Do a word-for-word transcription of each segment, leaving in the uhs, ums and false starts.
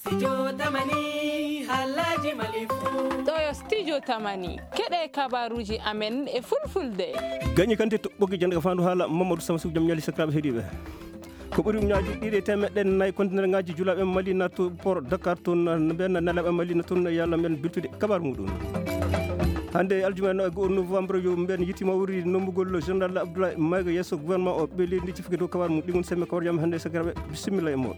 Studio Tamani, haalaaji Mali fuu. Ɗo yo Studio Tamani, keɗe kabaruuji amen e fulfulde. Gañi kante to ɓoggi jannde ka faandu haala Mamadou Sama Sow, jam ñaali sakiraaɓe heɗiiɓe. Ko ɓuri ujunnaaji ɗiɗi e teemeɗɗe nayi kontenerŋaaji julaaɓe Mali nattu port Dakar toon, mben nelaaɓe Mali nattu toon, yalla mben biltude kabaru muɗum. Hannde aljuma no e go'o novembre yo mben yitti mawri nombugol général Abdoulaye Maïga yeeso gouvernement o, ɓe leydi ndi cifike dow kabaru mum. Ɗi ngoni semme kabaruuji am hannde sakiraaɓe, bisimilla e moɗon.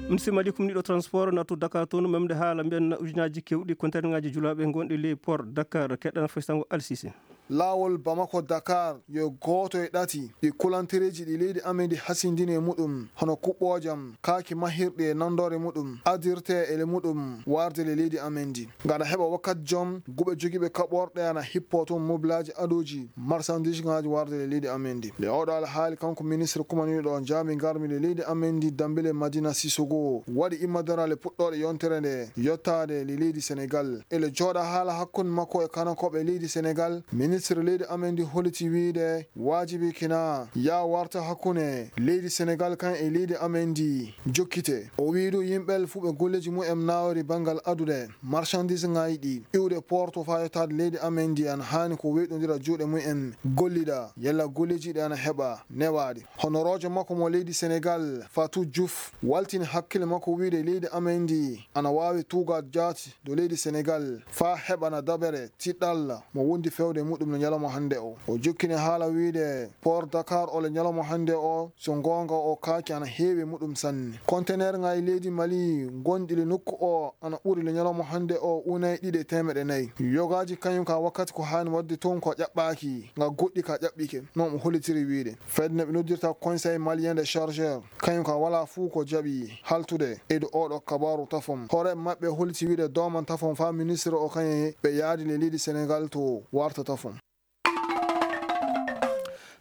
Monsieur Malick, ɗiɗo transport nattu Dakar toon, memde haala mben ujunnaaji kewɗi kontenerŋaaji julaaɓe gonɗi ley port Dakar, keɗɗana faysango Alsise. Laawol Bamako Dakar yo gooto e ɗati ɗi kulantereeji ɗi leydi amen ndi hasindini e muɗum, hono kuɓɓoojam, kaaki mahirɗi e nandoore muɗum, adirte e le muɗum waarde le leydi amen ndi. Ngam heɓa wakkati jom, guɓe jogiiɓe kaɓorɗe ana hippo toon mobilaaji adooji marsandiisŋaaji waarde le leydi amen ndi. Le oɗo alhaali kanko ministre kumaniiɗo jaami ngarmi le leydi amen ndi Dambele Madina Sissoko waɗi immadara le puɗɗooɗe yontere nde yottaade le leydi Senegal. E le jooɗa haala hakkunde makko e kanakooɓe leydi Senegal, ministre leydi amen ndi holliti wiide waajibi kina yaa warta hakkunde leydi Senegal kan e leydi amen ndi jokkite. O wii du yimɓe fuu ɓe golleeji mumen naawori banngal adude marchandise ŋaaji ɗi iwde porto faa yottaade leydi amen ndi ana haani ko weyɗondira juuɗe mumen gollida yalla golleeji ɗi ana heɓa newaade. Honoroojo makko mo leydi Senegal, Fatou Diouf, waltini hakkille makko wiide leydi amen ndi ana waawi tuugaade jaati dow leydi Senegal faa heɓana dabere tiɗɗalla mo wondi fewde muɗum no ñalawma hannde o. O jokkini haala wiide port Dakar o le ñalawma hannde o, so goonga o kaaki ana heewi muɗum sanne. Kontenerŋaaji leydi Mali gonɗi le nokku o ana ɓuri le ñalawma hannde o unay ɗiɗi e teemeɗɗe nayi. Yogaaji kañum ka wakkati ko haani waɗde toon ko ƴaɓɓaaki, nga goɗɗi ka ƴaɓɓike, no mo hollitiri wiide. Fedde no ɓe noddirta Conseil Malien des Chargeurs, kañum ka walaa fuu ko jaɓi haltude e do oɗo kabaru tafon. Hoore maɓɓe holliti wiide dooman tafon faa ministre o kañum ɓe yaadi le leydi Senegal to warta tafon.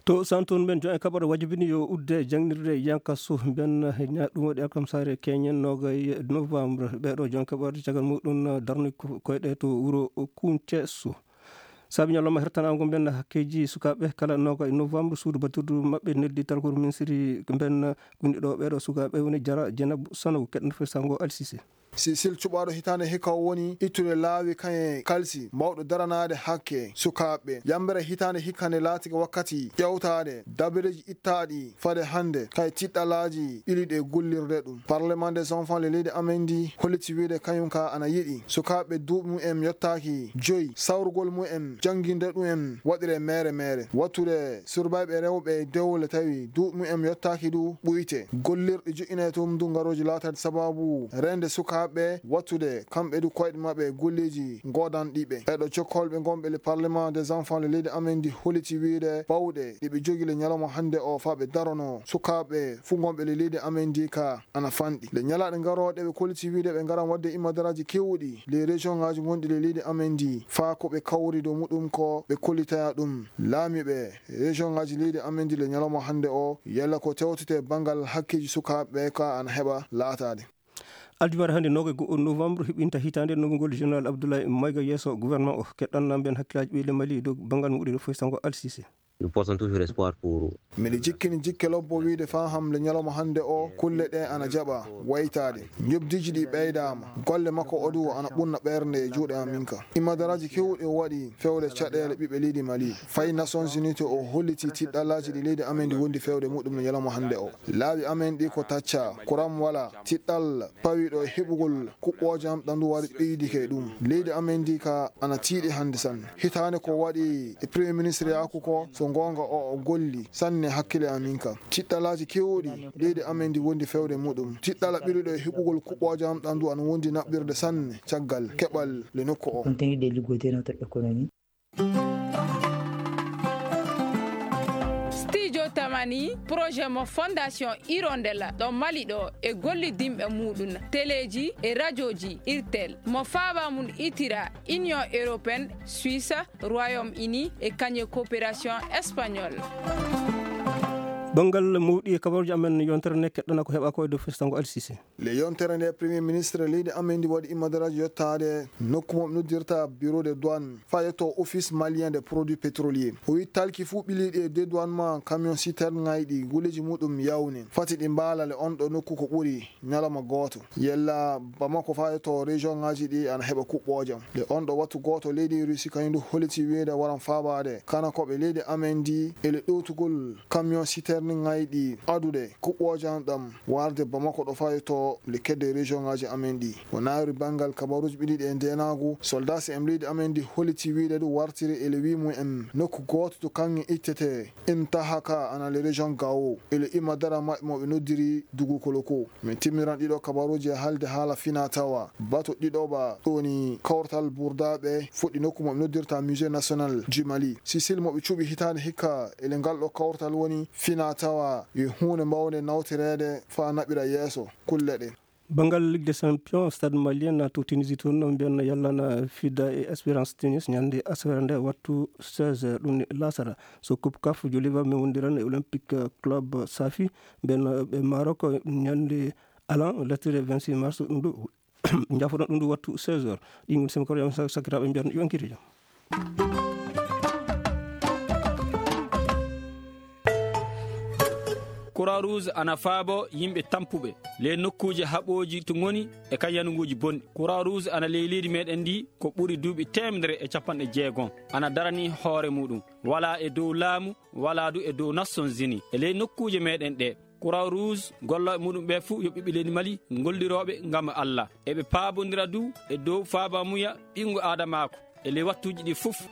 To Santon, mben jon e kaɓorɗe wajibini yo udde jangnirde yankasu mben ña-, ɗum waɗi alkamsaare keñen noogay novembre. Ɓeeɗo jon kaɓorɗe caggal muɗum darni ko-, koyɗe to wuro Kuncesu. Saabi ñalawma hertanaango mben hakkeeji sukaaɓe kala noogay novembre, suudu batirdu maɓɓe neldi talkuru minsiri mben gunndi ɗo ɓeeɗo sukaaɓe woni Jara Jenabu Sanogo, keɗen fesango Alsise. Sisil cuɓaaɗo hitaande hikka o woni ittude laawi kañe kalsi mawɗo daranaade hakke sukaaɓe. Yambere hitaande hikka nde laatike wakkati ƴeewtaade dabareeji ittaaɗi fade hannde kay tiɗɗalaaji ɓiliɗe gollirde ɗum. Parlement des enfants le leydi amen ndi holliti wiide kañum ka ana yiɗi sukaaɓe duuɓi mumen yottaaki joyi sawrugol mumen jannginde ɗumen waɗire meere meere. Wattude surbayɓe rewɓe e dewle tawi duuɓi mumen yottaaki du ɓuyte. Gollirɗe joƴƴinay toon du ngarooji laataade sababu reende sukaaɓe wattude kamɓe du koyɗe maɓɓe e golleeji goodanɗi ɓe. E ɗo jokkolɓe ngonɓe le Parlement des enfants le leydi amen ndi holliti wiide bawɗe ɗi ɓe jogii le ñalawma hannde o faa ɓe darono sukaaɓe fuu ngonɓe le leydi amen ndi ka ana fanɗi. Le ñalaaɗe ngarooɗe ɓe kolliti wiide ɓe ngaran waɗde immadaraaji keewɗi le région ŋaaji gonɗi le leydi amen ndi faa ko ɓe kawri dow muɗum ko ɓe kollitaya ɗum laamiiɓe région ŋaaji leydi amen ndi le ñalawma hannde o, yalla ko tewtete banngal hakkeeji sukaaɓe ɓe ka ana heɓa laataade. Aljumare hannde noogay go'o novembre hiɓɓinta hitaande nongol général Abdoulaye Maïga yeeso gouvernement o. Keɗɗan nan mben hakkillaaji ɓe le Mali dow banngal muɗum foy sango Alsise. Nous portons toujours espoir pour Miɗo jikkini jikke lobbo wiide faa hamle ñalawma hannde o, kulle ɗe ana jaɓa waytaade. Njoɓdiiji ɗi ɓeydaama. Golle makko o du ana ɓunna ɓernde e juuɗe am min ka. Imadaraaji keewɗi o waɗi fewde caɗeele ɓiɓɓe leydi Mali. Fayi Nations Unies to o holliti tiɗɗalaaji ɗi leydi amen ndi wondi fewde muɗum no ñalawma hannde o. Laawi amen ɗi ko tacca, kuram wala, tiɗɗal pawiɗo e heɓugol kuɓɓoojam ɗandu wari ɓeydike e ɗum. Leydi amen ndi ka ana tiiɗi hannde sanne. Hitaande ko waɗi e Premier Ministre Yaku ko, so goonga o, o golli sanne hakkille amin ka. Tiɗɗalaaji keewɗi leydi amen ndi wondi fewde muɗum. Tiɗɗala ɓiruɗo e heɓugol kuɓɓoojam ɗandu ana wondi naɓɓirde sanne caggal keɓal le nokku o. Contenu de liggodenoo to économie. Studio Tamani, projet mo Fondation Hirondella ɗo Mali ɗo e gollidinɓe muɗum, teleeji e rajooji Irtel, mo faaba mum itira Union Européenne, Suisse, Royaume-Uni e kañe coopération espagnole. Banngal mawɗi e kabaruuji amen, yontere nde keɗɗana ko heɓa ko e dow festango Alsise. Le yontere nde, Premier Ministre leydi amen ndi waɗi immadaraaji yottaade nokku mo ɓe noddirta Bureau de Douane, faa yetto Office Malien des Produits Pétroliers. O wi talki fuu ɓiliiɗi e dédouanement camion citerne ŋayɗi guleeji muɗum yawni. Fati ɗi mbaala le on ɗo nokku ko ɓuri ñalawma gooto. Yella Bamako faa yetto région ŋaaji ɗi ana heɓa kuɓɓoojam. Le on ɗo wattu gooto leydi Russie kañum du holliti wiide waran faabaade kana ko ɓe leydi amen ndi e le ɗowtugol camion citerne ŋayɗi adude kuɓɓoojam ɗam warde Bamako ɗo faa yetto le kedde région ŋaaji amen ɗi. O naawri banngal kabaruuji ɓiɗi ɗi e ndeenaagu, soldat C M leydi amen ndi holliti wiide du wartiri e le wi mum en nokku gooto to kaŋŋe ittete intaha ka ana le région Gao e le imma dara maɓɓe mo ɓe noddiri Dugu Koloko. Min timmiran ɗiɗo kabaruuji e haalde haala fina tawa. Bato ɗiɗo ba ɗoni kawtal burdaaɓe fuɗɗi nokku mo ɓe noddirta Musée National du Mali. Sicile mo ɓe cuɓi hitaande hikka e le ngal ɗo kawtal woni fina tawa e huunde mbawnde nawtoreede faa naɓira yeeso kulle ɗe. Banngal Ligue des Champions, Stade Malien to Tunisie toon, mbiyan yallana Fida e Espérance Tunis ñande asaweere nde wattu seize heures, ɗum ni laasara. So Coupe caf, Joliba mi wondiran e Olympique Club Safi, mbiyan ɓe Maroc ñande alan, lettere vingt-six mars, ɗum ɗo, njafoɗon ɗum ɗo wattu seize heures. Ɗi ngoni semi koreya sakkiraaɓe mbiyan yo en kiitu jam. Croix Rouge ana faabo yimɓe tampuɓe ley nokkuuje haɓooji to ngoni e kan yanuguuji bonɗi. Croix Rouge ana ley leydi meɗen ndi ko ɓuri duuɓi teemedere e capanɗe jeegom. Ana darani hoore muɗum. Walaa e dow laamu, walaa du e dow Nations Unies. E ley nokkuuje meɗen ɗe, Croix Rouge gollooɓe muɗum ɓe fuu yo ɓiɓɓe leydi Mali, gollirooɓe ngam Allah. Eɓe paabondira du e dow faabamuya ɓinngu aadamaaku e ley wattuuji ɗi fuf.